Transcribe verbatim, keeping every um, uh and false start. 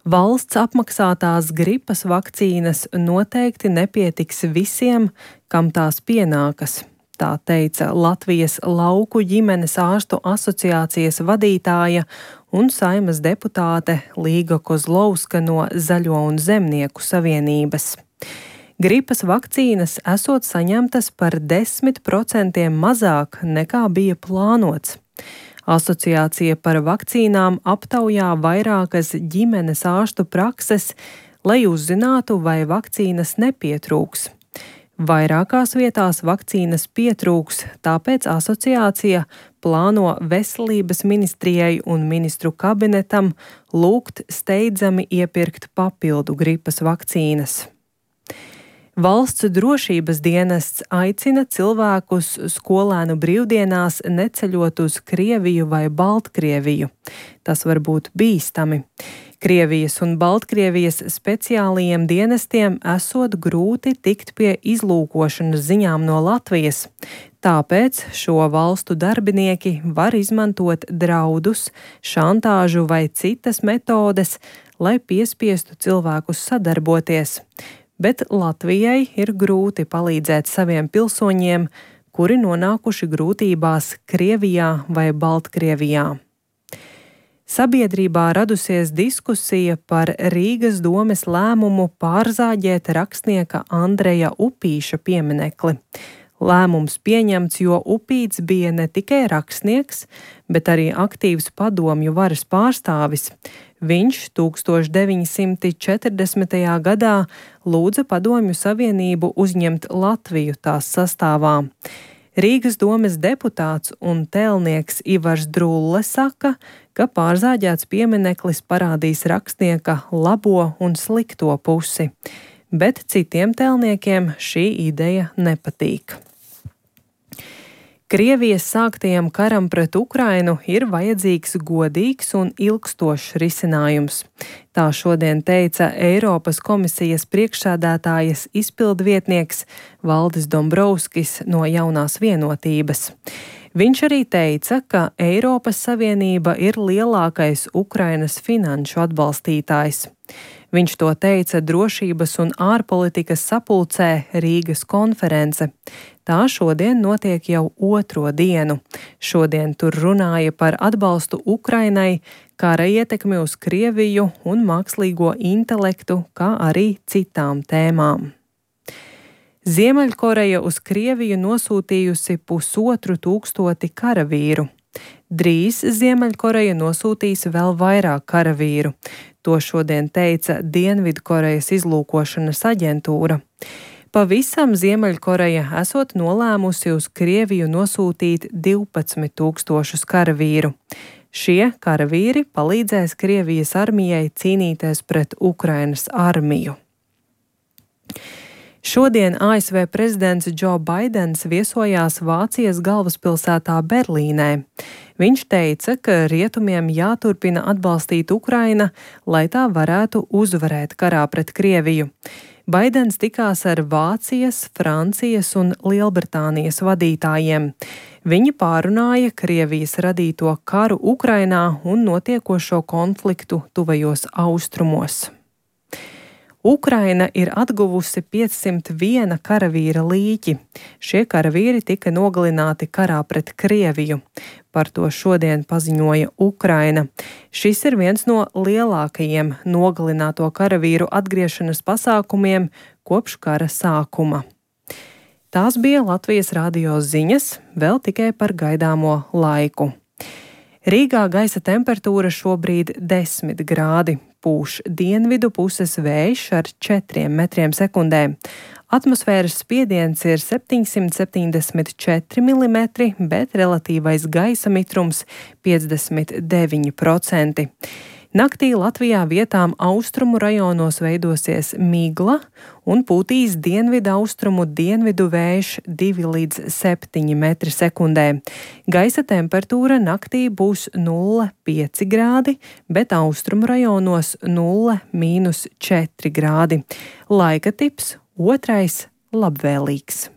Valsts apmaksātās gripas vakcīnas noteikti nepietiks visiem, kam tās pienākas. Tā teica Latvijas lauku ģimenes ārstu asociācijas vadītāja un Saeimas deputāte Līga Kozlovska no Zaļo un Zemnieku savienības. Gripas vakcīnas esot saņemtas par desmit procentiem mazāk nekā bija plānots. Asociācija par vakcīnām aptaujā vairākas ģimenes ārstu prakses, lai uzzinātu, vai vakcīnas nepietrūks. Vairākās vietās vakcīnas pietrūks, tāpēc asociācija plāno Veselības ministrijai un ministru kabinetam lūgt steidzami iepirkt papildu gripas vakcīnas. Valsts drošības dienests aicina cilvēkus skolēnu brīvdienās neceļot uz Krieviju vai Baltkrieviju. Tas var būt bīstami. Krievijas un Baltkrievijas speciālajiem dienestiem esot grūti tikt pie izlūkošanas ziņām no Latvijas. Tāpēc šo valstu darbinieki var izmantot draudus, šantāžu vai citas metodes, lai piespiestu cilvēkus sadarboties. Bet Latvijai ir grūti palīdzēt saviem pilsoņiem, kuri nonākuši grūtībās Krievijā vai Baltkrievijā. Sabiedrībā radusies diskusija par Rīgas domes lēmumu pārzāģēt rakstnieka Andreja Upīša pieminekli. Lēmums pieņemts, jo Upīts bija ne tikai rakstnieks, bet arī aktīvs padomju varas pārstāvis. Viņš tūkstoš deviņi simti četrdesmitajā gadā lūdza Padomju Savienību uzņemt Latviju tās sastāvā. Rīgas domes deputāts un tēlnieks Ivars Drulle saka, ka pārzāģēts piemineklis parādīs rakstnieka labo un slikto pusi, bet citiem tēlniekiem šī ideja nepatīk. Krievijas sāktajam karam pret Ukrainu ir vajadzīgs godīgs un ilgstošs risinājums. Tā šodien teica Eiropas komisijas priekšsēdētājas izpildvietnieks Valdis Dombrovskis no Jaunās vienotības. Viņš arī teica, ka Eiropas Savienība ir lielākais Ukrainas finanšu atbalstītājs. Viņš to teica drošības un ārpolitikas sapulcē Rīgas konference. Tā šodien notiek jau otro dienu. Šodien tur runāja par atbalstu Ukrainai, kara ietekmi uz Krieviju un mākslīgo intelektu, kā arī citām tēmām. Ziemeļkoreja uz Krieviju nosūtījusi pusotru tūkstoti karavīru. Drīz Ziemeļkoreja nosūtīs vēl vairāk karavīru. To šodien teica Dienvidkorejas izlūkošanas aģentūra. Pavisam Ziemeļkoreja esot nolēmusi uz Krieviju nosūtīt divpadsmit tūkstošus karavīru. Šie karavīri palīdzēs Krievijas armijai cīnīties pret Ukrainas armiju. Šodien A S V prezidents Džo Baidens viesojās Vācijas galvaspilsētā Berlīnē. Viņš teica, ka rietumiem jāturpina atbalstīt Ukraina, lai tā varētu uzvarēt karā pret Krieviju. Baidens tikās ar Vācijas, Francijas un Lielbritānijas vadītājiem. Viņi pārunāja Krievijas radīto karu Ukrainā un notiekošo konfliktu tuvajos austrumos. Ukraina ir atguvusi piecsimt viena karavīra līķi. Šie karavīri tika nogalināti karā pret Krieviju. Par to šodien paziņoja Ukraina. Šis ir viens no lielākajiem nogalināto karavīru atgriešanas pasākumiem kopš kara sākuma. Tās bija Latvijas radio ziņas, vēl tikai par gaidāmo laiku. Rīgā gaisa temperatūra šobrīd desmit grādi. Pūš dienvidu puses vējš ar četriem metriem sekundē. Atmosfēras spiediens ir septiņsimt septiņdesmit četri milimetri, bet relatīvais gaisa mitrums piecdesmit deviņi procenti. Naktī Latvijā vietām austrumu rajonos veidosies migla un pūtīs dienvidu austrumu dienvidu vējš divi līdz septiņi metri sekundē. Gaisa temperatūra naktī būs nulle pieci grādi, bet austrumu rajonos nulle mīnus četri grādi. Laika tips otrais labvēlīgs.